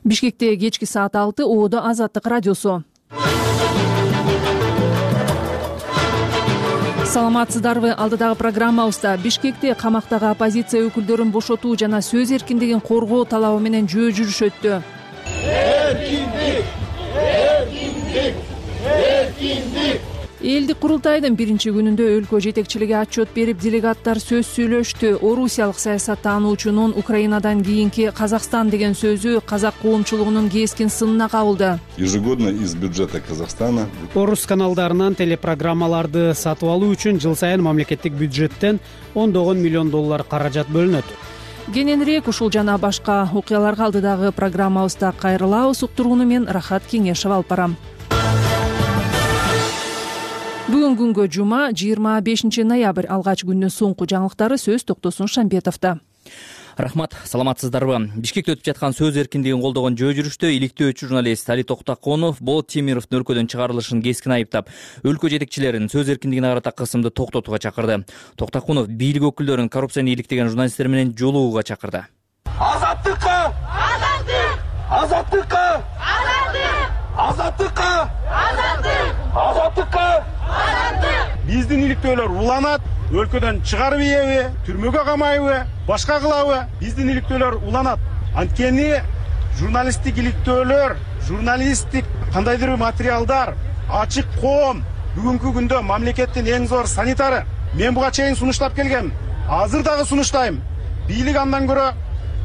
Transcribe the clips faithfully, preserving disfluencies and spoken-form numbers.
Бишкекте кечки саат алты Оодо Азаттык радиосу. Саламатсыздарбы? Алдыдагы программабызда Бишкекте камактагы оппозиция өкүлдөрүн бошотуу жана сөз эркиндигин коргоо талабы менен жөө жүрүш өттү. Эркиндик! Эркиндик! Эркиндик! Элдик курултайдын биринчи күнүндө өлкө жетекчилиги отчет берип, делегаттар сөз сүйлөштү. Орусиялык саясаттануучунун Украинадан кийинки Казакстан деген сөзү казак коомчулугунун кескин сынына кабылды. Ежегодно из бюджета Казахстана. Орус каналдарынан телепрограммаларды сатып алуу үчүн жыл сайын мамлекеттик бюджеттен ондогон миллион доллар каражат бөлүнөт. Кененирээк ушул жана башка окуяларга алдыдагы программабызда кайрылабыз. Уктурууну мен Рахат Кеңешева алып барам. Бүгүн күнгө жума жыйырма бешинчи ноябрь. Алгач күндүн соңку жаңылыктары сөз Токтосун Шамбетовдо. Рахмат, саламатсыздарбы? Бишкекте өтүп жаткан сөз эркиндигин колдогон жөө жүрүштө иликтөөчү журналист Али Токтаконов Болот Темировдун өлкөдөн чыгарылышын кескин айыптап, өлкө жетекчилерин сөз эркиндигине карата кысымды токтотууга чакырды. Токтаконов бийлик өкүлдөрүн коррупцияны иликтеген журналисттер менен жолугууга чакырды. Азаттыкка! Азаттык! Азаттыкка! Азаттык! Азаттыкка! Азаттык! Азаттыкка! Биздин иликтөөлөр уланат, өлкөдөн чыгарып ийеби, түрмөгө камайбы, башка кылабы? Биздин иликтөөлөр уланат. Анткени журналисттик иликтөөлөр, журналисттик кандайдыр бир материалдар, ачык коом бүгүнкү күндө мамлекеттин эң зор санитары. Мен буга чейин сунуштап келгем. Азыр дагы сунуштайм. Бийлик андан көрө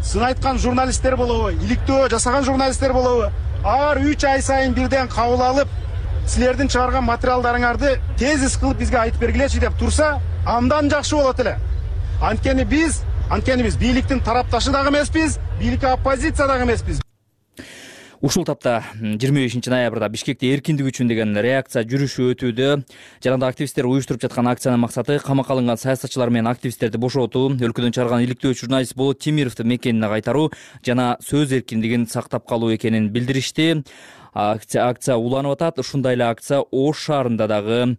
сын айткан журналисттер болобу, иликтөө жасаган журналисттер болобу, ар үч ай сайын бирден кабыл алып, силердин чыгарган материалдарыңарды тезис кылып бизге айтып бергилечи деп турса, андан жакшы болот эле. Анткени биз, анткени биз бийликтин тарапташы дагы эмеспиз, бийликке оппозиция дагы эмеспиз. Ушул тапта жыйырма бешинчи ноябрда Бишкекте эркиндик үчүн деген реакция жүрүшү өтүүдө. Жанагындай активисттер уюштуруп жаткан акциянын максаты камакка алынган саясатчылар менен активисттерди бошотуу, өлкөдөн чыгарган иликтөөчү журналист Болот Темировду мекенине кайтаруу жана сөз эркиндигин сактап калуу экенин билдиришти. Акция, акция уланып атат. Ушундай эле акция Ош шаарында дагы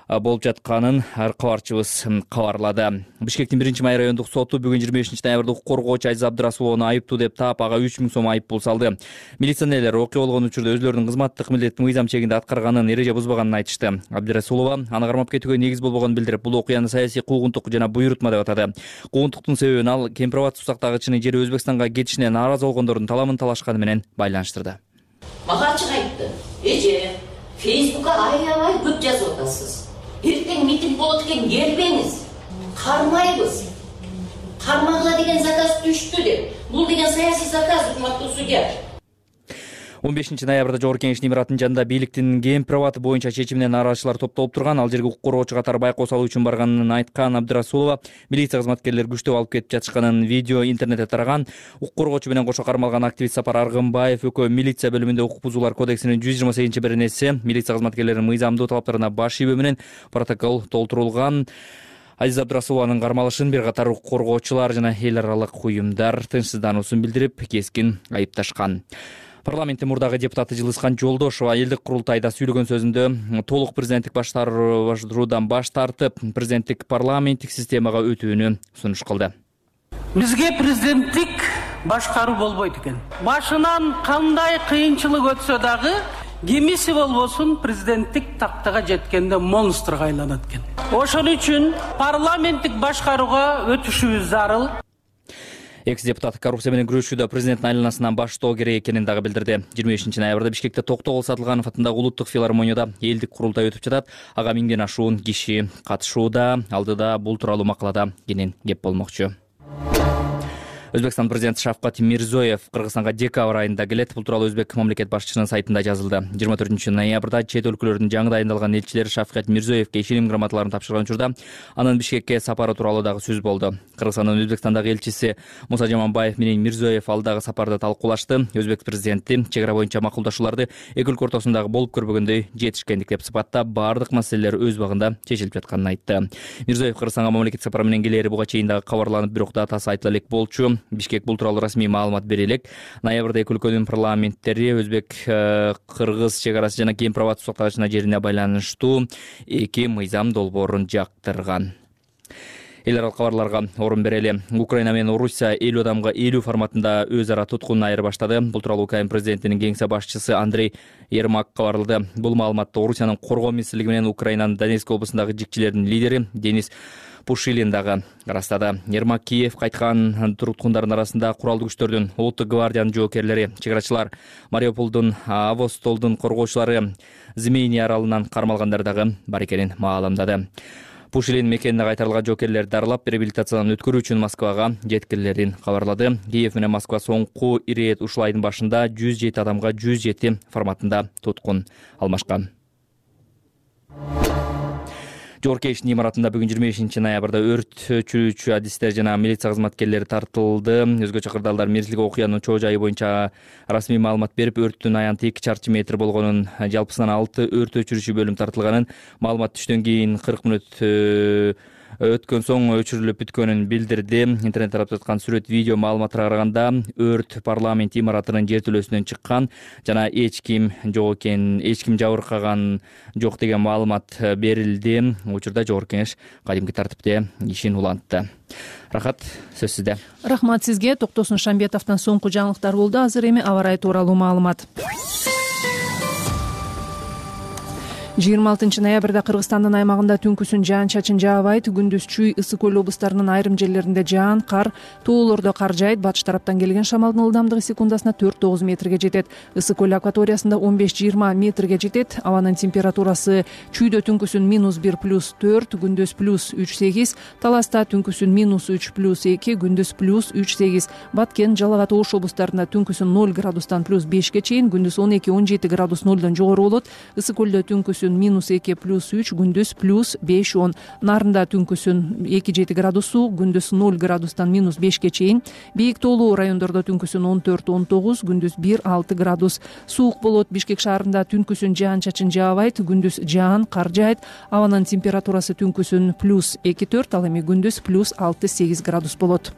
болуп жатканын кабарчыбыз кабарлады. Бишкектин биринчи май райондук соту бүгүн жыйырма бешинчи ноябрда укук коргоочу Айза Абдрасуловну айыптуу деп таап, ага үч миң сом айып пул салды. Милиционерлер окуя болгон учурда өзлөрүнүн кызматтык милдетин мыйзам чегинде аткарганын, эреже бузбаганын айтышты. Абдрасулова аны кармап кетүүгө негиз болбогонун билдирип, бул окуяны саясий куугунтук жана буйрутма деп атады. Куугунтуктун себебин ал Кемпир-Абад сусактагычынын жери Өзбекстанга кетишине нааразы болгондордун талабын талашканы менен байланыштырды. Мага ачык айтты. Эже, Фейсбукка аябай көп жазып атасыз. Эртең митинг болот экен, келбеңиз. Кармайбыз. Кармагыла деген заказ түштү деп. Бул деген саясий заказ, урматтуу судья. он бешинчи ноябрда Жогорку Кеңештин имаратынын жанында бийликтин Кемпир-Абад боюнча чечимине нааразычылар топтолуп турган. Ал жерге укук коргоочу катары байкоо салуу үчүн барганын айткан Абдрасулова милиция кызматкерлери күчтөп алып кетип жатышканын видео интернетте тараган. Укук коргоочу менен кошо кармалган активист Сапар Аргынбаев экөө милиция бөлүмүндө укук бузуулар кодексинин жүз жыйырма сегизинчи беренеси милиция кызматкерлеринин мыйзамдуу талаптарына баш ийбөө менен протокол толтурулган. Азиза Абдрасулованын кармалышын бир катар укук коргоочулар жана эл аралык уюмдар тынчсыздануусун билдирип, кескин айыпташкан. Парламенттин мурдагы депутаты Жылыскан Жолдошова элдик курултайда сүйлөгөн сөзүндө толук президенттик баштаруудан баш тартып, президенттик парламенттик системага өтүүнү сунуш кылды. Бизге президенттик башкаруу болбойт экен. Башынан кандай кыйынчылык өтсө дагы, кимиси болбосун президенттик тактага жеткенде монстрга айланат экен. Ошон үчүн парламенттик башкарууга өтүшүбүз зарыл. Экс-депутат коррупция менен күрөшүүдө президенттин айланасынан баштоо керек экенин дагы билдирди. жыйырма бешинчи ноябрда Бишкекте Токтогул Сатылганов атындагы улуттук филармонияда элдик курултай өтүп жатат. Ага миңден ашуун киши катышууда. Алдыда бул тууралуу макалада кенен кеп болмокчу. Өзбекстан президенти Шавкат Мирзиёев Кыргызстанга декабрь айында келет. Бул тууралуу Өзбек мамлекет башчысынын сайтында жазылды. жыйырма төртүнчү ноябрда чет өлкөлөрдүн жаңы дайындалган элчилери Шавкат Мирзиёевке ишеним грамоталарын тапшырган учурда анын Бишкекке сапары тууралуу дагы сөз болду. Кыргызстандын Өзбекстандагы элчиси Муса Жаманбаев менен Мирзиёев алдагы сапарды талкуулашты. Өзбек президенти чек ара боюнча макулдашууларды эки өлкө ортосундагы болуп көрбөгөндөй жетишкендик деп сыпаттап, баардык маселелер өз убагында чечилип жатканын айтты. Мирзиёев Кыргызстанга мамлекеттик сапар менен келери буга чейин дагы кабарланып, бирок датасы айтыла элек болчу. Бишкек бул тууралуу расмий маалымат бере элек. Ноябрда эки өлкөнүн парламенттери Өзбек Кыргыз чек арасы жана Кемпир-Абад сусактагычына жерине байланыштуу эки мыйзам долбоорун жактырган. эл аралык кабарларга орун берели. Украина менен Орусия элүү адамга элүү форматында өз ара туткун айырбаштады. Бул тууралуу Украина президентинин кеңсе башчысы Андрей Ермак кабарлады. Бул маалыматты Орусиянын коргоо министрлиги менен Украинанын Донецк облусундагы жикчилердин лидери Денис Пушилин дагы ырастады. Ермак Киев кайткан туткундардын арасында куралдуу күчтөрдүн, улуттук гвардиянын жоокерлери, чыгарачылар, Мариуполдун, Авостолдун коргоочулары, Змейни аралынан кармалгандар дагы бар экенин маалымдады. Пушилин мекенине кайтарылган жоокерлерди дарылап, реабилитациядан өткөрүү үчүн Москвага жеткирилерин кабарлады. Киев менен Москва соңку ирет ушул айдын башында жүз жети адамга жүз жети форматында туткун алмашкан. Жоркештин имаратында бүгүн жыйырма бешинчи ноябрда өрт өчүрүүчү адистер жана милиция кызматкерлери тартылды. Өзгөчө кырдаалдар мерзилик окуянын чоо жайы боюнча расмий маалымат берип, өрттүн аянты эки чарчы метр болгонун, жалпысынан алты өрт өчүрүүчү бөлүм тартылганын, маалымат түштөн кийин кырк мүнөт өткөн соң өчүрүлүп бүткөнүн билдирди. Интернет тарап жаткан сүрөт, видео маалыматтарга караганда өрт парламент имаратынын жертөлөсүнөн чыккан жана эч ким жок экен, эч ким жабыркаган жок деген маалымат берилди. Учурда жогорку кеңеш кадимки тартипте ишин улантты. Рахат, сөз сизде. Рахмат сизге. Токтосун Шамбетовдон соңку жаңылыктар болду. Азыр эми аба ырайы тууралуу маалымат. жыйырма алтынчы ноябрда Кыргызстандын аймагында түнкүсүн жаан-чачын жаабайт. Күндүз Чүй, Ысык көл облустарынын айрым жерлеринде жаан, кар, тоолордо кар жаайт. Батыш тараптан келген шамалдын ылдамдыгы секундасына төрт тогуз метрге жетет. Ысык көл акваториясында он беш жыйырма метрге жетет. Абанын температурасы Чүйдө түнкүсүн минус бир плюс төрт, күндүз плюс үч сегиз, Таласта түнкүсүн минус үч плюс эки, күндүз плюс үч сегиз, Баткен, Жалал Абад, Ош облустарында түнкүсүн ноль градустан плюс бешке чейин, күндүз он эки он жети градус нолдон жогору болот. Ысык көлдө түнкүсүн минус эки плюс үч, күндүз плюс беш он. Нарында түнкүсүн эки жети градус суук, күндүз ноль градустан минус бешке чейин. Бийик тоолуу райондордо түнкүсүн он төрт он тогуз, күндүз бир алты градус суук болот. Бишкек шаарында түнкүсүн жаан-чачын жаабайт, күндүз жаан, кар жаайт. Абанын температурасы түнкүсүн плюс эки төрт, ал эми күндүз плюс алты сегиз градус болот.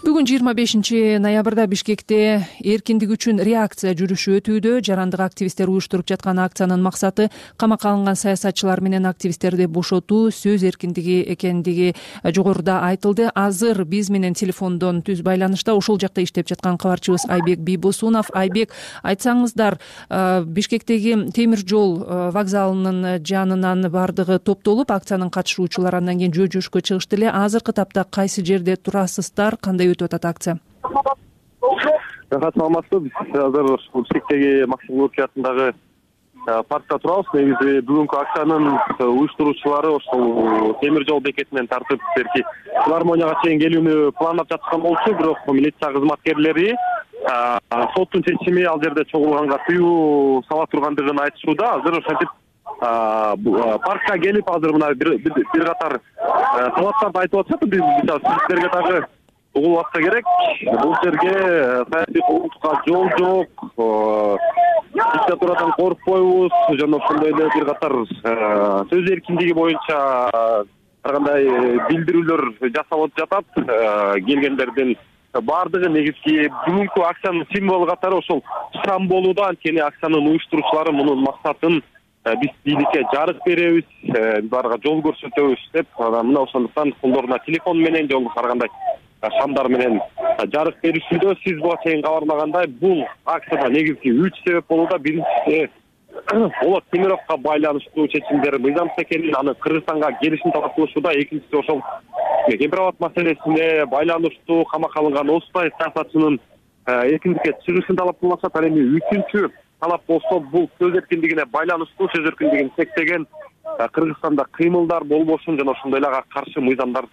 Бүгүн жыйырма бешинчи ноябрда Бишкекте эркиндик үчүн реакция жүрүшү өтүүдө. Жарандык активисттер уюштуруп жаткан акциянын максаты камакка алынган саясатчылар менен активисттерди бошотуу, сөз эркиндиги экендиги жогоруда айтылды. Азыр биз менен телефондон түз байланышта ошол жакта иштеп жаткан кабарчыбыз Айбек Бийбосунов. Айбек, айтсаңыздар, Бишкектеги темир жол вокзалынын жанынан бардыгы топтолуп, акциянын катышуучулары андан кийин жөө жүрүшкө чыгышты эле. Азыркы тапта кайсы жерде турасыздар, кандай өтүп атат акция? Рахат, саламатсызбы? Биз азыр Бишкектеги Максим Горький атындагы паркта турабыз. Негизи бүгүнкү акциянын уюштуруучулары ошол темир жол бекетинен тартып берки филармонияга чейин келүүнү пландап жаткан болчу, бирок милиция кызматкерлери соттун чечими ал жерде чогулганга тыюу сала тургандыгын айтышууда. Азыр ошентип паркка келип, азыр мына бир катар талаптарды айтып атышат. Биз сиздерге дагы угулуп керек. Бул жерге саясий кулдукка жол жок, диктатурадан коркпойбуз жана ошондой эле бир катар сөз эркиндиги боюнча ар кандай билдирүүлөр жасалып жатат. Келгендердин баардыгы негизги бүгүнкү акциянын символу катары ошол шам болууда. Анткени акциянын уюштуруучулары мунун максатын биз бийликке жарык беребиз, аларга жол көрсөтөбүз деп, мына ошондуктан колдоруна телефон менен же ар кандай шамдар менен жарык беришүүдө. Сиз буга чейин кабарлагандай, бул акцияда негизги үч себеп болууда. Биринчиси Болот Темировго байланыштуу чечимдер мыйзамсыз экенин, аны Кыргызстанга келишин талап кылышууда. Экинчиси ошол Кемпирабад маселесине байланыштуу камакка алынган Осутай саясатчынын эркиндикке чыгышын талап кылышат. Ал эми үчүнчү талап болсо, бул сөз эркиндигине байланыштуу, сөз эркиндигин чектеген Кыргызстанда кыймылдар болбошун жана ошондой эле ага каршы мыйзамдар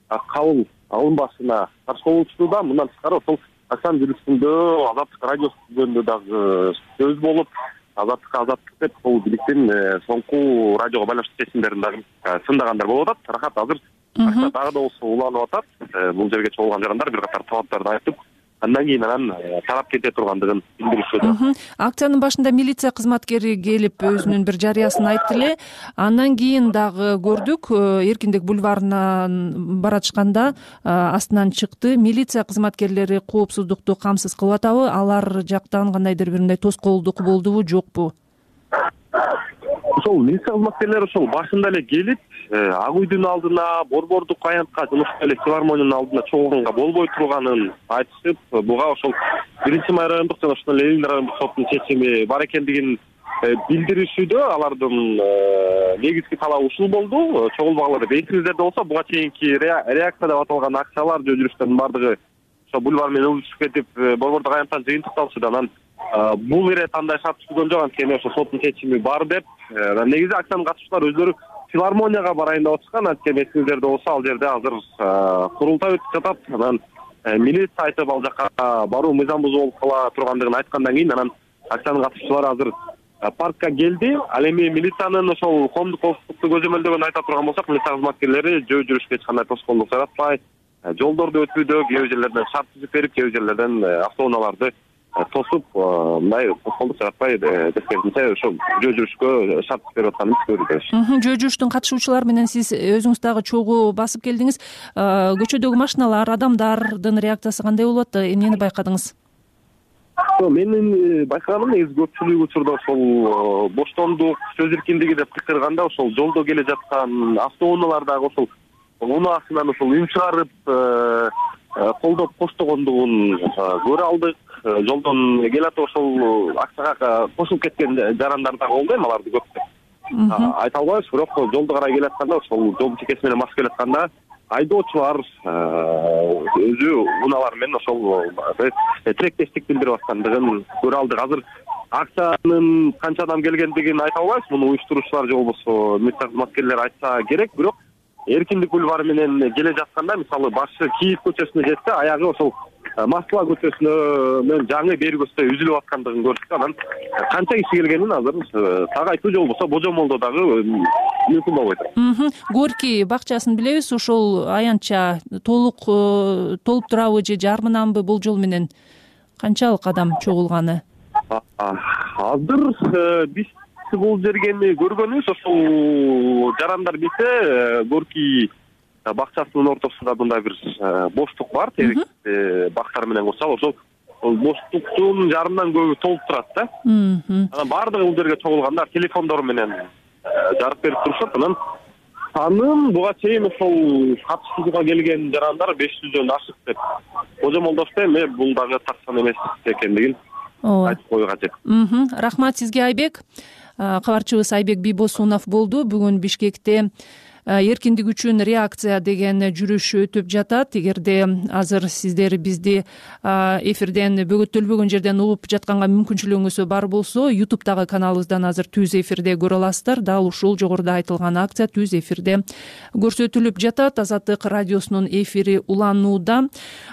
кабыл алынбашына каршы болуучууда. Мындан тышкары ошол акциянын жүрүшүндө Азаттык радиосу жөнүндө дагы сөз болуп, Азаттыкка азаттык деп бул бийликтин соңку радиого байланыштуу чечимдерин дагы сындагандар болуп атат. Рахат, азыр акция дагы да болсо уланып атат. Бул жерге чогулган жарандар бир катар талаптарды айтып, андан кийин анан тарап кете тургандыгын билдиришүүдө. Акциянын башында милиция кызматкери келип өзүнүн бир жарыясын айтты эле. Андан кийин дагы көрдүк, Эркиндик бульварынан баратышканда астынан чыкты. Милиция кызматкерлери коопсуздукту камсыз кылып атабы? Алар жактан кандайдыр бир мындай тоскоолдук болдубу, жокпу? Ошол милиция кызматкерлери ошол башында эле келип, Ак үйдүн алдына, Борбордук аянтка, жумушка эле филармониянын алдына чогулганга болбой турганын айтышып, буга ошол биринчи май райондук жана ошондой эле Ленин райондук соттун чечими бар экендигин билдиришүүдө алардын негизги талабы ушул болду. Чогулбагыла деп эсиңиздерде болсо, буга чейинки реакция деп аталган акциялар, жөө жүрүштөрдүн бардыгы ошо бульвар менен ылдышып кетип, Борбордук аянттан жыйынтыкталышты. Анан бул ирет андай шарт түзгөн жок, анткени ошо соттун чечими бар деп. Негизи акциянын катышуучулары өздөрү филармонияга барайын деп атышкан, анткени эсиңиздерде болсо, ал жерде азыр курултай өтүп жатат. Анан милиция айтып ал жака баруу мыйзам бузуу болуп кала тургандыгын айткандан кийин анан акциянын катышуучулары азыр паркка келди. Ал эми милициянын ошол коомдук коопсуздукту көзөмөлдөгөнүн айта турган болсок, милиция кызматкерлери жөө жүрүшкө эч кандай тоскоолдук жаратпай, жолдорду өтүүдө кээ бир жерлерден шарт түзүп берип, кээ бир жерлерден автоунааларды тосуп, мындай тоскоолдук жаратпай дескенче ошол жөө жүрүшкө шарт түзүп берип атканын көрдүк. Жөө жүрүштүн катышуучулары менен сиз өзүңүз дагы чогуу басып келдиңиз. Көчөдөгү машиналар, адамдардын реакциясы кандай болуп атты? Эмнени байкадыңыз? Менин байкаганым негизи көпчүлүк учурда ошол боштондук, сөз эркиндиги деп кычкырганда ошол жолдо келе жаткан автоунаалардагы ошол унаасынан ошол үн чыгарып колдоп коштогондугун көрө алдык. Жолдон келатып ошол акцияга кошулуп кеткен жарандар дагы болду эми, аларды көп айта албайбыз, бирок жолду карай келатканда ошол жолдун чекеси менен басып келатканда айдоочулар өзү унаалар менен ошол тилектештик билдирип аткандыгын көрө алдык. Азыр акциянын канча адам келгендигин айта албайбыз, муну уюштуруучулар же болбосо милиция кызматкерлери айтса керек. Бирок Эркиндик бульвары менен келе жатканда, мисалы башы Киев көчөсүнө жетсе, аягы ошол Москва көчөсүнө менен жаңы бери көчөсүнө үзүлүп аткандыгын көрдүк. Анан канча киши келгенин азыр так айтуу же болбосо божомолдоо дагы мүмкүн болбой турат. Горький бакчасын билебиз, ошол аянтча толук толуп турабы же жарымынанбы болжол менен канчалык адам чогулганы? Азыр биз бул жерге көргөнүбүз, ошол жарандар билсе, Горький бакчасынын ортосунда мындай бир боштук бар, терек бактар менен курсал, ошол боштуктун жарымдан көбү толуп турат да. Анан баардыгы бул жерге чогулгандар телефондору менен жарык берип турушат. Анан санын буга чейин ошол катышууга келген жарандар беш жүздөн ашык деп божомолдошто. Эми бул дагы так сан эмес экендигин айтып коюу кажет. Рахмат сизге, Айбек. Кабарчыбыз Айбек Бийбосунов болду. Бүгүн Бишкекте эркиндик үчүн реакция деген жүрүш өтүп жатат. Эгерде азыр сиздер бизди эфирден бөгөттөлбөгөн жерден угуп жатканга мүмкүнчүлүгүңүз бар болсо, ютубтагы каналыбыздан азыр түз эфирде көрө аласыздар. Дал ушул жогоруда айтылган акция түз эфирде көрсөтүлүп жатат. Азаттык радиосунун эфири уланууда.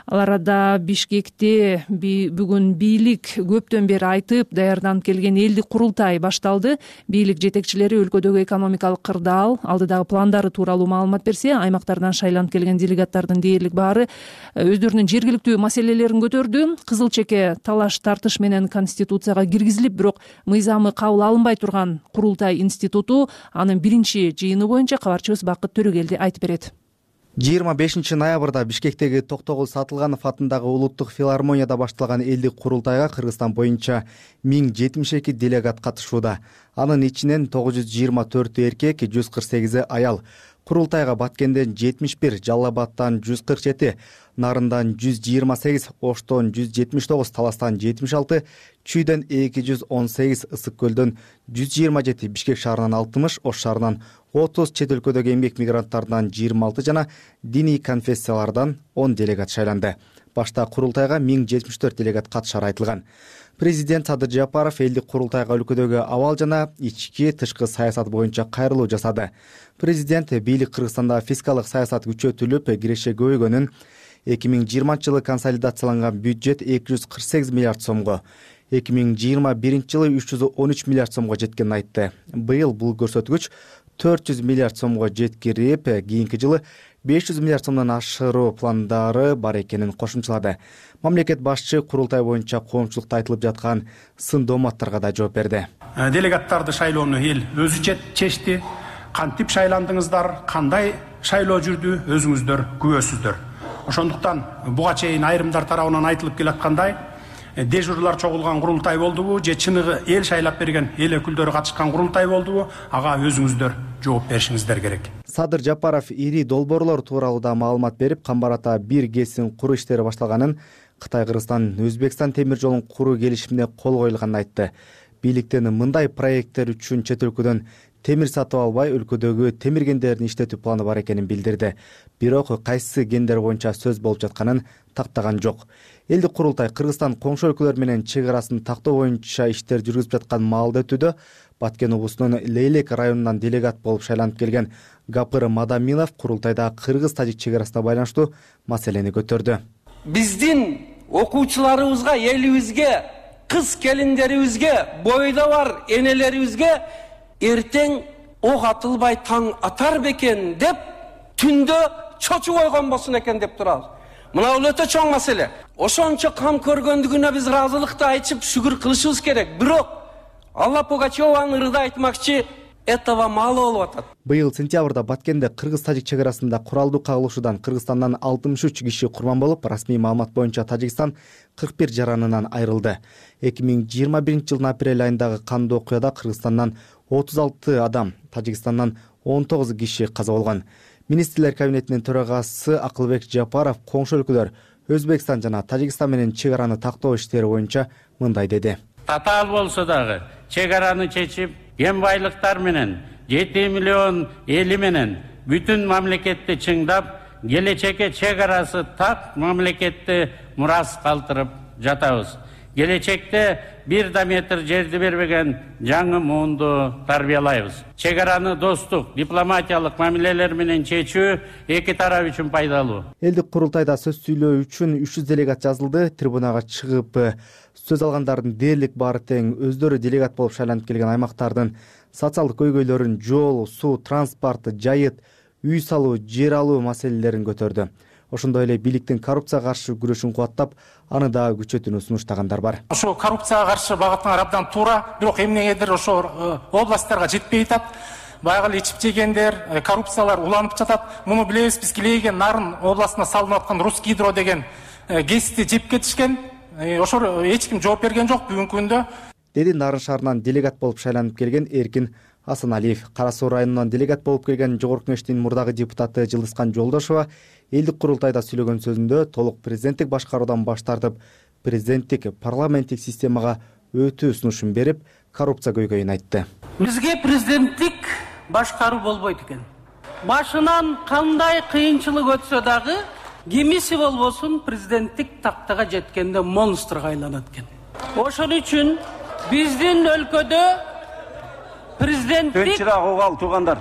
Ал арада Бишкекте бүгүн бийлик көптөн бери айтып даярданып келген элдик курултай башталды. Бийлик жетекчилери өлкөдөгү экономикалык кырдаал, алдыдагы пландар тууралуу маалымат берсе, аймактардан шайланып келген делегаттардын дээрлик баары өздөрүнүн жергиликтүү маселелерин көтөрдү. Кызыл чеке талаш тартыш менен Конституцияга киргизилип, бирок мыйзамы кабыл алынбай турган курултай институту анын биринчи жыйыны боюнча кабарчыбыз Бакыт Төрөгелди айтып берет. жыйырма бешинчи ноябрда Бишкектеги Токтогул Сатылганов атындагы улуттук филармонияда башталган элдик курултайга Кыргызстан боюнча миң жетимиш эки делегат катышууда. Анын ичинен тогуз жүз жыйырма төртү эркек, жүз кырк сегизи аял. Курултайга Баткенден жетимиш бир, Жалал Абадтан жүз кырк жети, Нарындан жүз жыйырма сегиз, Оштон жүз жетимиш тогуз, Таластан жетимиш алты, Чүйдөн эки жүз он сегиз, Ысык Көлдөн жүз жыйырма жети, Бишкек шаарынан алтымыш, Ош шаарынан отуз, чет өлкөдөгү эмгек мигранттарынан жыйырма алты жана диний конфессиялардан он делегат шайланды. Башта курултайга миң жетимиш төрт делегат катышары айтылган. Президент Садыр Жапаров элдик курултайга өлкөдөгү абал жана ички тышкы саясат боюнча кайрылуу жасады. Президент бийлик Кыргызстанда фискалдык саясат күчөтүлүп, киреше көбөйгөнүн, эки миң жыйырманчы жылы консолидацияланган бюджет эки жүз кырк сегиз миллиард сомго, эки миң жыйырма биринчи жылы үч жүз он үч миллиард сомго жеткенин айтты. Быйыл бул көрсөткүч төрт жүз миллиард сомго жеткирип, кийинки жылы беш жүз миллиард сомдон ашыруу пландары бар экенин кошумчалады. Мамлекет башчы курултай боюнча коомчулукта айтылып жаткан сын дооматтарга да жооп берди. Делегаттарды шайлоону эл өзү чечти. Кантип шайландыңыздар, кандай шайлоо жүрдү, өзүңүздөр күбөсүздөр. Ошондуктан буга чейин айрымдар тарабынан айтылып келаткандай, дежурлар чогулган курултай болдубу же чыныгы эл шайлап берген эл өкүлдөрү катышкан курултай болдубу, ага өзүңүздөр жооп беришиңиздер керек. Садыр Жапаров ири долбоорлор тууралуу да маалымат берип, Камбар-Ата бир ГЭСин куруу иштери башталганын, Кытай, Кыргызстан, Өзбекстан темир жолун куруу келишимине кол коюлганын айтты. Бийликтен мындай проекттер үчүн чет өлкөдөн темир сатып албай, өлкөдөгү темир кендерин иштетүү планы бар экенин билдирди. Бирок кайсы кендер боюнча сөз болуп жатканын тактаган жок. Элдик курултай Кыргызстан коңшу өлкөлөр менен чек арасын тактоо боюнча иштер жүргүзүп жаткан маалда өтүүдө. Баткен облусунун Лейлек районунан делегат болуп шайланып келген Гапыр Мадамилов курултайда кыргыз-тажик чек арасына байланыштуу маселени көтөрдү. Биздин окуучуларыбызга, элибизге, кыз келиндерибизге, бойдо бар энелерибизге эртең ок атылбай таң атар бекен деп түндө чочуп койгон болсун экен деп турабыз. Мына бул өтө чоң маселе. Ошончо кам көргөндүгүнө биз ыраазылыкты айтып шүгүр кылышыбыз керек. Бирок Алла Пугачеванын ырда айтмакчы, этого мало болуп атат. Быйыл сентябрда Баткенде кыргыз-тажик чек арасында куралдуу кагылышуудан Кыргызстандан алтымыш үч киши курман болуп, расмий маалымат боюнча Тажикстан кырк бир жаранынан айрылды. эки миң жыйырма биринчи жылдын апрель айындагы кандуу окуяда Кыргызстандан отуз алты адам, Тажикстандан он тогуз киши каза болгон. Министрлер кабинетинин төрагасы Акылбек Жапаров коңшу өлкөлөр Өзбекстан жана Тажикстан менен чек араны тактоо иштери боюнча мындай деди. Татаал болсо дагы чек араны чечип, кен байлыктар менен жети миллион эли менен бүтүн мамлекетти чыңдап, келечекке чек арасы так мамлекетти мурас калтырып жатабыз. Келечекте бир да метр жерди бербеген жаңы муунду тарбиялайбыз. Чек араны достук, дипломатиялык мамилелер менен чечүү эки тарап үчүн пайдалуу. Элдик курултайда сөз сүйлөө үчүн үч жүз делегат жазылды. Трибунага чыгып сөз алгандардын дээрлик баары тең өздөрү делегат болуп шайланып келген аймактардын социалдык көйгөйлөрүн, жол, суу, транспорт, жайыт, үй салуу, жер алуу маселелерин көтөрдү. Ошондой эле бийликтин коррупцияга каршы күрөшүн кубаттап, аны дагы күчөтүүнү сунуштагандар бар. Ошо коррупцияга каршы багыттанган абдан туура, бирок эмнегедир ошо областтарга жетпей атат. Баягы ичип жегендер, коррупциялар уланып жатат. Муну билебиз, биз Килейген Нарын областына салынып аткан Русгидро деген ГЭСти жеп кетишкен. Ошо эч ким жооп берген жок бүгүнкү күндө. Деди Нарын шаарынан делегат болуп шайланып келген Эркин Асаналиев. Кара Суу районунан делегат болуп келген Жогорку Кеңештин мурдагы депутаты Жылдызкан Жолдошова элдик курултайда сүйлөгөн сөзүндө толук президенттик башкаруудан баш тартып, президенттик парламенттик системага өтүү сунушун берип, коррупция көйгөйүн айтты. Бизге президенттик башкаруу болбойт экен. Башынан кандай кыйынчылык өтсө дагы, кимиси болбосун президенттик тактага жеткенде монстрга айланат экен. Ошон үчүн биздин өлкөдө президенттик туугандар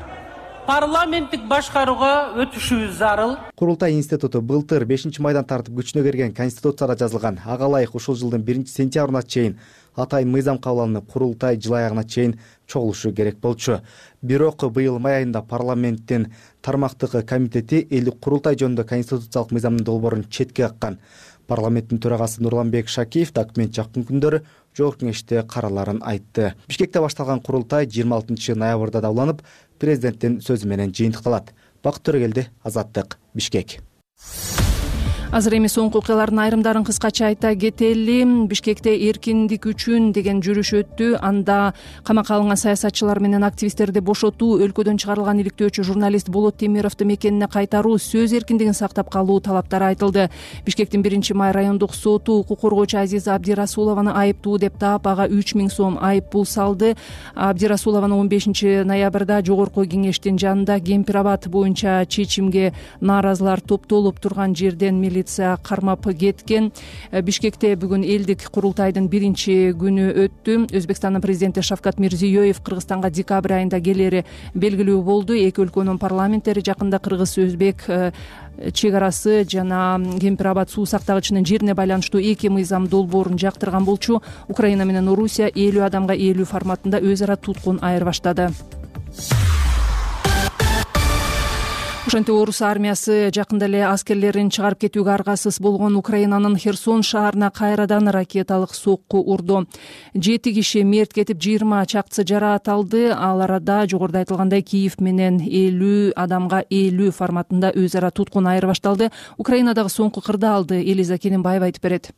парламенттик башкарууга өтүшүбүз зарыл. Курултай институту былтыр бешинчи майдан тартып күчүнө кирген Конституцияда жазылган ага ылайык ушул жылдын биринчи сентябрына чейин атайын мыйзам кабыл алынып, курултай жыл аягына чейин чогулушу керек болчу. Бирок быйыл май айында парламенттин тармактык комитети элдик курултай жөнүндө конституциялык мыйзамдын долбоорун четке каккан. Парламенттин төрагасы Нурланбек Шакиев документ жакын күндөрү Жогорку Кеңеште караларын айтты. Бишкекте башталган курултай жыйырма алтынчы ноябрда да уланып, президенттин сөзү менен жыйынтыкталат. Бакыт Төрөгелди, Азаттык, Бишкек. Азыр эми соңку окуялардын айрымдарын кыскача айта кетели. Бишкекте эркиндик үчүн деген жүрүш өттү. Анда камакка алынган саясатчылар менен активисттерди бошотуу, өлкөдөн чыгарылган иликтөөчү журналист Болот Темировду мекенине кайтаруу, сөз эркиндигин сактап калуу талаптары айтылды. Бишкектин биринчи май райондук соту укук коргоочу Азиза Абдирасулованы айыптуу деп таап, ага үч миң сом айып пул салды. Абдирасулованы он бешинчи ноябрда Жогорку Кеңештин жанында Кемпир-Абад боюнча чечимге нааразылар топтолуп турган жерден милиция кармап кеткен. Бишкекте бүгүн элдик курултайдын биринчи күнү өттү. Өзбекстандын президенти Шавкат Мирзиёев Кыргызстанга декабрь айында келери белгилүү болду. Эки өлкөнүн парламенттери жакында кыргыз-өзбек чек арасы жана Кемпир-Абад суу сактагычынын жерине байланыштуу эки мыйзам долбоорун жактырган болчу. Украина менен Орусия элүү адамга элүү форматында өз ара туткун айырбаштады. Ошентип орус армиясы жакында эле аскерлерин чыгарып кетүүгө аргасыз болгон Украинанын Херсон шаарына кайрадан ракеталык сокку урду. Жети киши мерт кетип, жыйырма чакчысы жараат алды. Ал арада жогоруда айтылгандай Киев менен элүү адамга элүү форматында өз ара туткун айырбашталды. Украинадагы соңку кырдаалды Элиза Кененбаева айтып берет.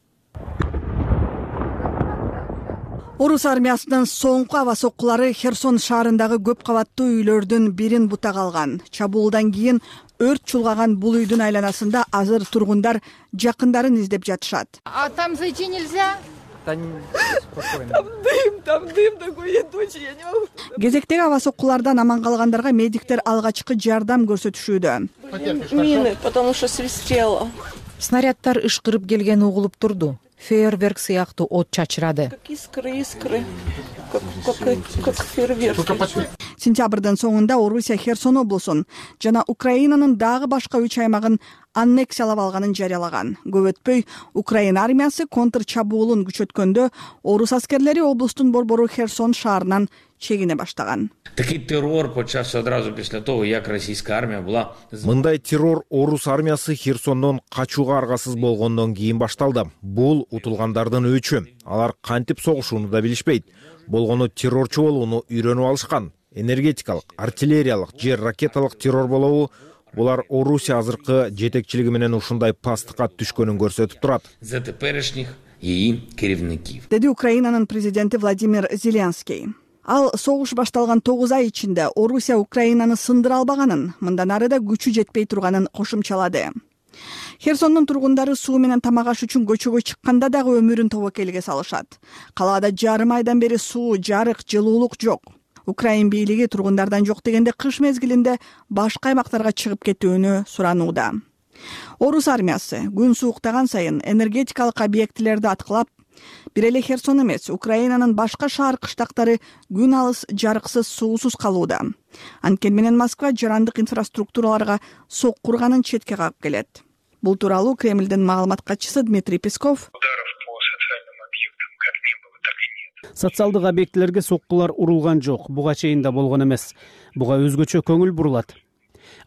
Орус армиясынын соңку аба соккулары Херсон шаарындагы көп кабаттуу үйлөрдүн бирин бутак алган. Чабуулдан кийин өрт чулгаган бул үйдүн айланасында азыр тургундар жакындарын издеп жатышат. А там зайти нельзя? Там дым, там дым такой, я точно не могу. Кезектеги аба соккулардан аман калгандарга медиктер алгачкы жардам көрсөтүшүүдө. Мины, потому что свистело. Снаряддар ышкырып келгени угулуп турду. Фейерверк сыяктуу от чачырады. Как искры, искры. Как, как, как фейерверк. Сентябрдын соңунда Орусия Херсон облусун жана Украинанын дагы башка үч аймагын аннексиялап алганын жарыялаган. Көп өтпөй Украина армиясы контр чабуулун күчөткөндө орус аскерлери облустун борбору Херсон шаарынан чегине баштаган. Такий террор почався одразу після того, як російська армія була. Мындай террор орус армиясы Херсондон качууга аргасыз болгондон кийин башталды. Бул утулгандардын өчү. Алар кантип согушууну да билишпейт. Болгону террорчу болууну үйрөнүп алышкан. Энергетикалык, артиллериялык, жер ракеталык террор болобу? Булар Орусия азыркы жетекчилиги менен ушундай пастыкка түшкөнүн көрсөтүп турат. За теперешних її керівників. Деди Украинанын президенти Владимир Зеленский. Ал согуш башталган тогуз ай ичинде Орусия Украинаны сындыра албаганын, мындан ары да күчү жетпей турганын кошумчалады. Херсондун тургундары суу менен тамак аш үчүн көчөгө чыкканда дагы өмүрүн тобокелге салышат. Калаада жарым айдан бери суу, жарык, жылуулук жок. Украин бийлиги тургундардан жок дегенде кыш мезгилинде башка аймактарга чыгып кетүүнү суранууда. Орус армиясы күн сууктаган сайын энергетикалык объектилерди аткылап, бир эле Херсон эмес, Украинанын башка шаар кыштактары күн алыс, жарыксыз, суусуз калууда. Анткени менен Москва жарандык инфраструктураларга сокку урганын четке кагып келет. Бул тууралуу Кремлдин маалымат катчысы Дмитрий Песков социалдык объектилерге соккулар урулган жок, буга чейин да болгон эмес. Буга өзгөчө көңүл бурулат.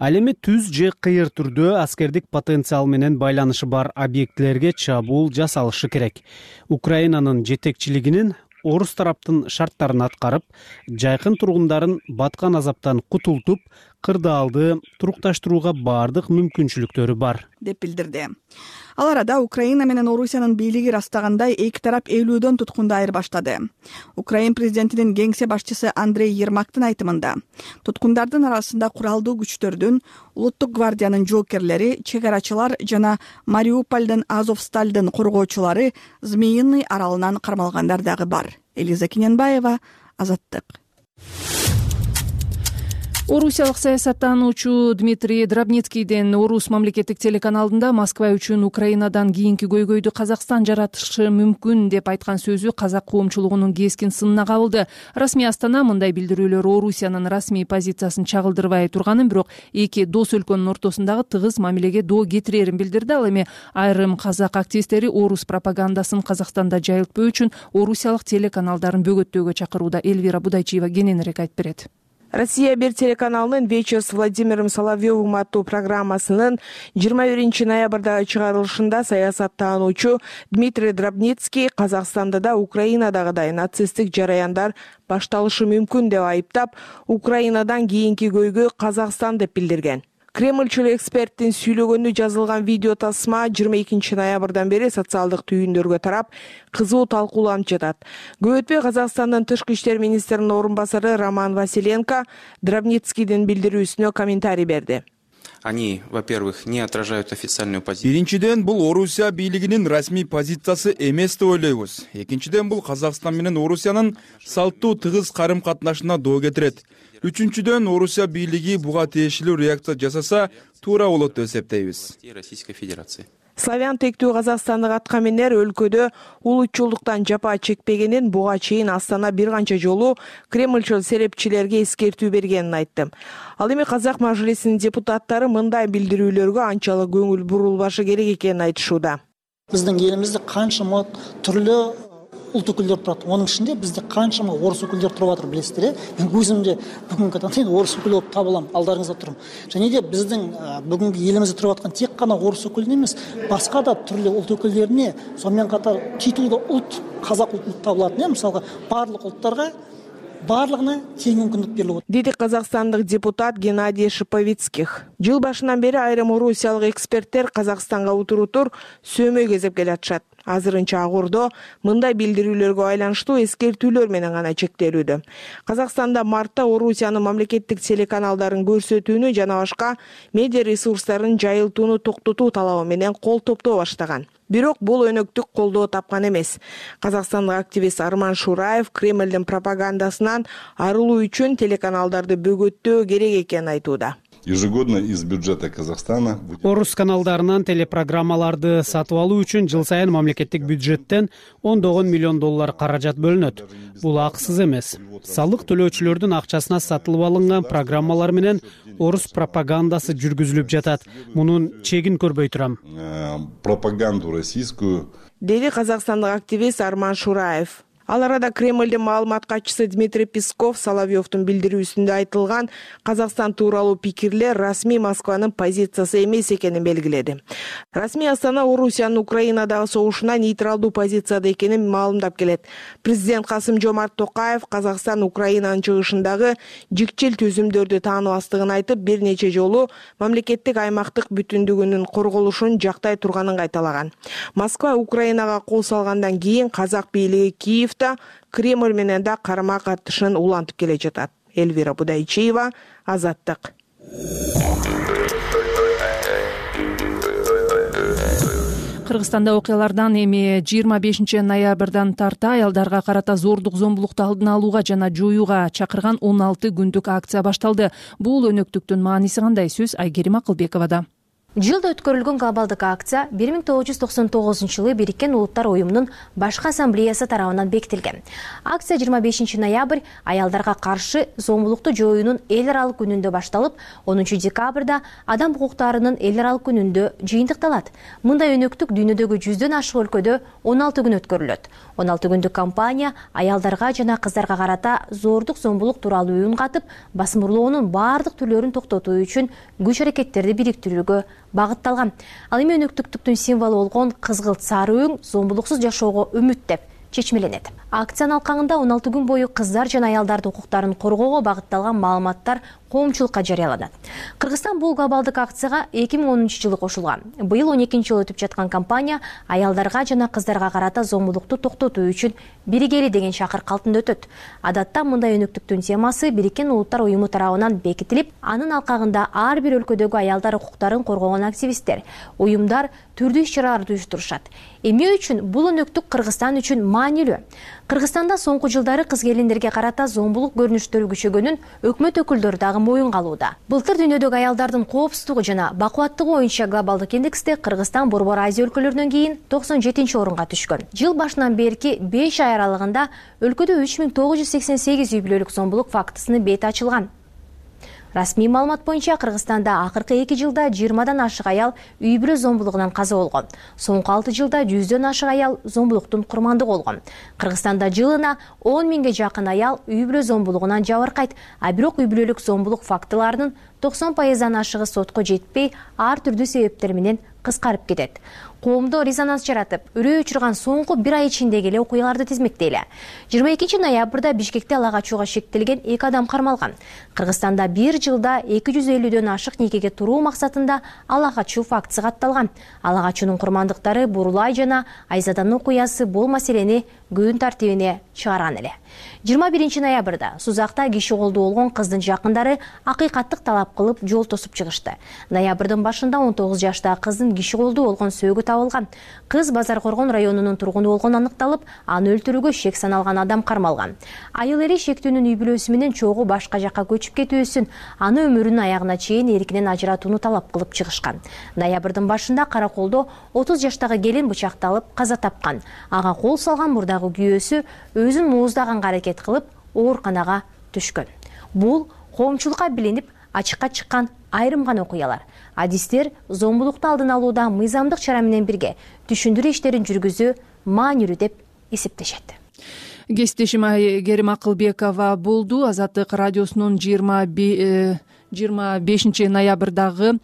Ал эми түз же кыйыр түрдө аскердик потенциал менен байланышы бар объектилерге чабуул жасалышы керек. Украинанын жетекчилигинин орус тараптын шарттарын аткарып, жайкын тургундарын баткан азаптан кутултуп, кырдаалды турукташтырууга баардык мүмкүнчүлүктөрү бар, деп билдирди. Ал арада Украина менен Орусиянын бийлиги растагандай эки тарап элүүдөн туткунду айырбаштады. Украин президентинин кеңсе башчысы Андрей Ермактын айтымында, туткундардын арасында куралдуу күчтөрдүн, улуттук гвардиянын жоокерлери, чегарачылар жана Мариупольдун Азовсталдын коргоочулары Змеиный аралынан кармалгандар дагы бар. Элиза Киненбаева, Азаттык. Орусиялык саясаттануучу Дмитрий Драбницкийдин Орус мамлекеттик телеканалында Москва үчүн Украинадан кийинки көйгөйдү Казакстан жаратышы мүмкүн деп айткан сөзү казак коомчулугунун кескин сынына кабылды. Расмий Астана мындай билдирүүлөр Орусиянын расмий позициясын чагылдырбай турганын, бирок эки дос өлкөнүн ортосундагы тыгыз мамилеге доо кетирерин билдирди. Ал эми айрым казак активисттери орус пропагандасын Казакстанда жайылтпоо үчүн орусиялык телеканалдарын бөгөттөөгө чакырууда. Эльвира Будайчиева кененирээк айтып берет. Россия бир телеканалынын «Вечер с Владимиром Соловьевым» аттуу программасынын жыйырма биринчи ноябрдагы чыгарылышында саясаттануучу Дмитрий Драбницкий Казакстанда да Украинадагыдай нацисттик жараяндар башталышы мүмкүн деп айыптап, Украинадан кийинки көйгөй Казакстан деп билдирген. Кремльчил эксперттин сүйлөгөнү жазылган видео тасма жыйырма экинчи ноябрдан бери социалдык түйүндөргө тарап, кызуу талкууланып жатат. Көп өтпөй Казакстандын тышкы иштер министринин орун басары Роман Василенко Драбницкийдин билдирүүсүнө комментарий берди. Они, во-первых, не отражают официальную позицию. Биринчиден, бул Орусия бийлигинин расмий позициясы эмес деп ойлойбуз. Экинчиден, бул Казакстан менен Орусиянын салттуу тыгыз карым катнашына доо кетирет. Үчүнчүдөн, Орусия бийлиги буга тиешелүү реакция жасаса, туура болот деп эсептейбиз. Российской Федерации. Славян тектүү казакстандык аткаминер өлкөдө улутчулдуктан жапа чекпегенин буга чейин Астана бир канча жолу Кремльчил серепчилерге эскертүү бергенин айтты. Ал эми Казак мажлисинин депутаттары мындай билдирүүлөргө анчалык көңүл бурулбашы керек экенин айтышууда. Биздин элибизде канчама түрлүү улут өкүлдөр турат. Онун ичинде бизде канчама орус өкүлдөр туруп атыр, билесиздер, э? Мен өзүмдө бүгүнкү таңда орус өкүлү болуп табылам, алдарыңызда турам. Және де биздин бүгүнкү элибизде туруп аткан тек гана орус өкүлүнө эмес, башка да түрлүү улут өкүлдөрүнө, сонун катар титулдуу улут, казак улуту табылат, э? Мисалга, барлык улуттарга барлыгына тең мүмкүндүк берилет. Деди казакстандык депутат Геннадий Шиповицких. Жыл башынан бери айрым орусиялык эксперттер Казакстанга утурутур сөөмөй кезеп келатышат. азырынча Акордо мындай билдирүүлөргө байланыштуу эскертүүлөр менен гана чектелүүдө. Казакстанда мартта Орусиянын мамлекеттик телеканалдарын көрсөтүүнү жана башка медиа ресурстарын жайылтууну токтотуу талабы менен кол топтоо баштаган. Бирок бул өнөктүк колдоо тапкан эмес. Казакстандык активист Арман Шураев Кремлдин пропагандасынан арылуу үчүн телеканалдарды бөгөттөө керек экенин айтууда. Ежегодно из бюджета Казахстана Орус каналдарынан телепрограммаларды сатып алуу үчүн жыл сайын мамлекеттик бюджеттен ондогон миллион доллар каражат бөлүнөт. Бул акысыз эмес. Салык төлөөчүлөрдүн акчасына сатылып алынган программалар менен орус пропагандасы жүргүзүлүп жатат. Мунун чегин көрбөй турам. Пропаганду российскую, деди казакстандык активист Арман Шураев. Ал арада Кремлдин маалымат катчысы Дмитрий Песков Соловьевдун билдирүүсүндө айтылган Казакстан тууралуу пикирлер расмий Москванын позициясы эмес экенин белгиледи. Расмий Астана Орусиянын Украинадагы согушуна нейтралдуу позицияда экенин маалымдап келет. Президент Касым-Жомарт Токаев Казакстан Украинанын чыгышындагы жикчил түзүмдөрдү тааныбастыгын айтып, бир нече жолу мамлекеттик аймактык бүтүндүгүнүн корголушун жактай турганын кайталаган. Москва Украинага кол салгандан кийин казак бийлиги Киев Кремль менен да карама катышын улантып келе жатат. Эльвира Будайчиева, Азаттык. Кыргызстанда окуялардан эми жыйырма бешинчи ноябрдан тарта аялдарга карата зордук зомбулукту алдын алууга жана жоюуга чакырган он алты күндүк акция башталды. Бул өнөктүктүн мааниси кандай? Сөз Айгерим Акылбековада. Жылда өткөрүлгөн глобалдык акция бир миң тогуз жүз токсон тогузунчу жылы Бириккен Улуттар уюмунун башкы ассамблеясы тарабынан бекитилген. Акция жыйырма бешинчи ноябрь аялдарга каршы зомбулукту жоюунун эл аралык күнүндө башталып, онунчу декабрда адам укуктарынын эл аралык күнүндө жыйынтыкталат. Мындай өнөктүк дүйнөдөгү жүздөн ашык өлкөдө он алты күн өткөрүлөт. он алты күндүк кампания аялдарга жана кыздарга карата зордук зомбулук тууралуу үн катып, басымырлоонун баардык түрлөрүн токтотуу үчүн күч аракеттерди бириктирүүгө багытталган. Ал эми өнөктүктүктүн символу болгон кызгылт сары өң зомбулуксуз жашоого үмүт деп чечмеленет. Акциянын алкагында он алты күн бою кыздар жана аялдардын укуктарын коргоого багытталган маалыматтар коомчулукка жарыяланат. Кыргызстан бул глобалдык акцияга эки миң онунчу жылы кошулган. Быйыл он экинчи жолу өтүп жаткан кампания аялдарга жана кыздарга карата зомбулукту токтотуу үчүн биригели деген чакырык калтында өтөт. Адатта мындай өнөктүктүн темасы Бириккен Улуттар уюму тарабынан бекитилип, анын алкагында ар бир өлкөдөгү аялдар укуктарын коргогон активисттер, уюмдар түрдүү иш-чараларды уюштурушат. Эмне үчүн бул өнөктүк Кыргызстан үчүн маанилүү? Кыргызстанда соңку жылдары кыз келиндерге карата зомбулук көрүнүштөрү күчөгөнүн өкмөт өкүлдөрү дагы моюнга алууда. Былтыр дүйнөдөгү аялдардын коопсуздугу жана бакубаттыгы боюнча глобалдык индексте Кыргызстан Борбор Азия өлкөлөрүнөн кийин токсон жетинчи орунга түшкөн. Жыл башынан берки беш ай аралыгында өлкөдө үч миң тогуз жүз сексен сегиз үй бүлөлүк зомбулук фактысынын бети ачылган. Расмий маалымат боюнча Кыргызстанда акыркы эки жылда жыйырмадан ашык аял үй бүлө зомбулугунан каза болгон. Соңку алты жылда жүздөн ашык аял зомбулуктун курмандыгы болгон. Кыргызстанда жылына он миңге жакын аял үй бүлө зомбулугунан жабыркайт, а бирок үй бүлөлүк зомбулук фактыларынын токсон пайыздан ашыгы сотко жетпей, ар түрдүү себептер менен кыскарып кетет. Коомдо резонанс жаратып, үрөө өчүргөн соңку бир ай ичиндеги эле окуяларды тизмектейли. жыйырма экинчи ноябрда Бишкекте ала качууга шектелген эки адам кармалган. Кыргызстанда бир жылда эки жүз элүүдөн ашык никеге туруу максатында ала качуу фактысы катталган. Ала качуунун курмандыктары Бурулай жана Айзаданын окуясы бул маселени күн тартибине чыгарган эле. жыйырма биринчи ноябрда Сузакта киши колдуу болгон кыздын жакындары акыйкаттык талап кылып жол тосуп чыгышты. Ноябрдын башында он тогуз жаштагы кыздын киши колдуу болгон сөөгү табылган. Кыз Базар Коргон районунун тургуну болгону аныкталып, аны өлтүрүүгө шек саналган адам кармалган. Айыл эри шектүүнүн үй бүлөсү менен чогуу башка жакка көчүп кетүүсүн, аны өмүрүнүн аягына чейин эркинен ажыратууну талап кылып чыгышкан. Ноябрдын башында Караколдо отуз жаштагы келин бычакталып каза тапкан. Ага кол салган мурдагы күйөөсү өзүн мууздаганга аракет кылып ооруканага түшкөн. Бул коомчулукка билинип ачыкка чыккан айрым гана окуялар. Адистер зомбулукту алдын алууда мыйзамдык чара менен бирге түшүндүрүү иштерин жүргүзүү маанилүү деп эсептешет. Кесиптешим Айгерим Акылбекова болду. Азаттык радиосунун жыйырма жыйырма бешинчи ноябрдагы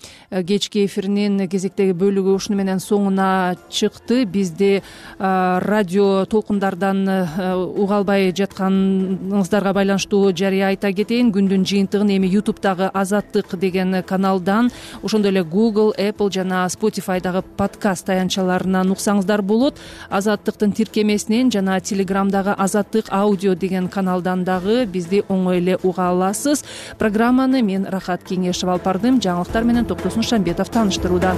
кечки эфиринин кезектеги бөлүгү ушуну менен соңуна чыкты. Бизди радио толкундардан уга албай жатканыңыздарга байланыштуу жарыя айта кетейин. Күндүн жыйынтыгын эми ютубтагы Азаттык деген каналдан, ошондой эле Google, Apple жана Spotify'дагы подкаст таянчаларынан уксаңыздар болот. Азаттыктын тиркемесинен жана Телеграмдагы Азаттык аудио деген каналдан дагы бизди оңой эле уга аласыз. Программаны мен Рахат Кеңешов алып бардым. Жаңылыктар менен Токтосун Шамбетов тааныштырууда.